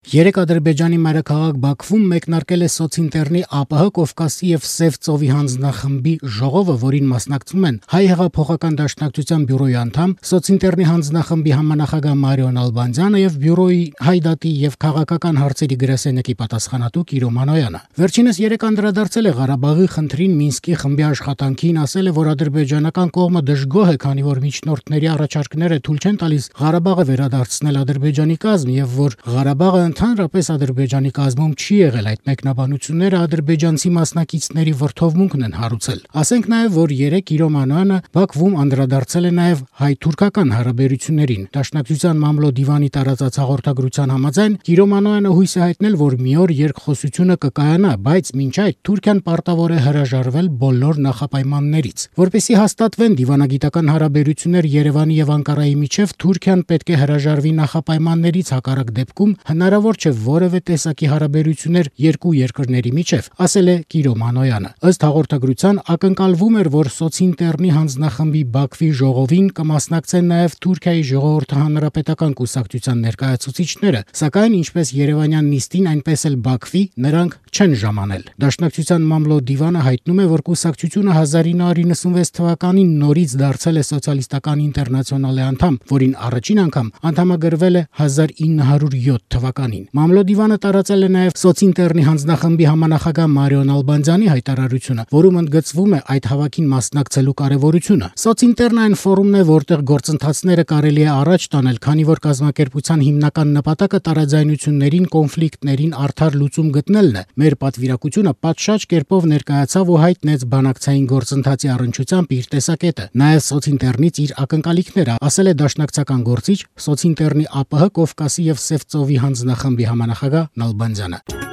Երեկ Ադրբեջանի մայրաքաղաք Բաքվում մեկնարկել է սոցինտերնի ԱՊՀ Կովկասի եւ Սև ծովի հանձնախմբի ժողովը, որին մասնակցում են Հայ հեղափոխական դաշնակցության բյուրոյի անդամ, սոցինտերնի հանձնախմբի համանախագահ Մարիո Նալբանդյանը եւ բյուրոյի Հայդատի եւ քաղաքական հարցերի գրասենյակի պատասխանատու Կիրո Մանոյանը։ Վերջինս երեկ անդրադարձել է Ղարաբաղի խնդրին Մինսկի խմբի աշխատանքին, ասել է, որ ադրբեջանական կողմը դժգոհ է, քանի որ միջնորդների առաջարկները թույլ չեն տալիս Ղարաբաղը վերադարձնել Ադրբեջանի կազմ եւ որ Ղարաբաղը Ընդհանրապես Ադրբեջանի կազմում չի եղել, այդ մեկնաբանությունները ադրբեջանցի մասնակիցների վրդովմունքն են հարուցել։ Ասենք նաև, որ երեկ Կիրո Մանոյանը Բաքվում անդրադարձել է նաև հայ-թուրքական հարաբերություններին։ Դաշնակցության մամլո դիվանի տարածած հաղորդագրության համաձայն Կիրո Մանոյանը հույս է հայտնել, որ մի օր երկխոսությունը կկայանա, բայց մինչ այդ Թուրքիան պարտավոր է հրաժարվել բոլոր նախապայմաններից։ Որպեսզի հաստատվեն դիվանագիտական հարաբերություններ Երևանի եւ Անկարայի միջև, Թուրքիան պետք է հրաժարվի նախապայմաններից, հակառակ դեպքում հնարավոր չէ որևէ տեսակի հարաբերություններ երկու երկրների միջև, ասել է Կիրո Մանոյանը։ Ըստ հաղորդագրության ակնկալվում էր, որ սոցինտերնի հանձնախմբի Բաքվի ժողովին կմասնակցեն նաև Թուրքիայի ժողովրդի հանրապետական կուսակցության ներկայացուցիչները, սակայն ինչպես Երևանյան նիստին, այնպես էլ Բաքվի նրանք չեն ժամանել։ Դաշնակցության մամլո դիվանը հայտնում է, որ կուսակցությունը 1996 թվականին նորից դարձել է սոցիալիստական ինտերնացիոնալի անդամ, որին առաջին անգամ անդամագրվել է 1907 թվականին։ Մամլո դիվանը տարածել է նաև սոցինտերնի հանձնախմբի համանախագահ Մարիո Նալբանդյանի հայտարարությունը, որում ընդգծվում է այդ հավաքին մասնակցելու կարևորությունը։ Սոցինտերն այն ֆորումն է, որտեղ գործընթացները կարելի է առաջ տանել, քանի որ կազմակերպության հիմնական նպատակը տարաձայնություններին, կոնֆլիկտներին արդար լուծում գտնելն է։ Մեր պատվիրակությունը պատշաճ կերպով ներկայացավ ու հայտնեց բանակցային գործընթացի առնչությամբ իր տեսակետը, նաև սոցինտերնից իր ակնկալիքները, ասել է դաշնակցական գործիչ, սոցինտերնի ԱՊՀ Կովկասի եւ Սև ծովի հանձնախմբի համանախագահ Նալբանդյանը։